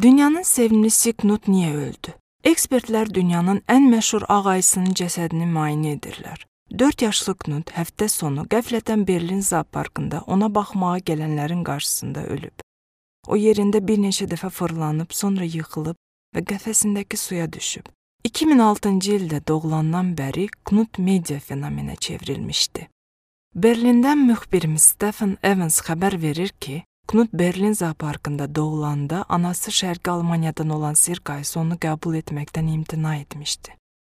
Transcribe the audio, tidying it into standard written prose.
Dünyanın sevimlisi Knut niyə öldü? Ekspertlər dünyanın ən məşhur ağ ayısının cəsədini müayinə edirlər. 4 yaşlı Knut həftə sonu qəflətən Berlin zooparkında ona baxmağa gələnlərin qarşısında ölüb. O yerində bir neçə dəfə fırlanıb, sonra yıxılıb və qəfəsindəki suya düşüb. 2006-cı ildə doğulandan bəri Knut media fenomenə çevrilmişdi. Berlindən müxbirimiz Stefan Evans xəbər verir ki, Knut Berlin zooparkında doğulanda anası Şərqi Almaniyadan olan sirk ayısı onu qəbul etməkdən imtina etmişdi.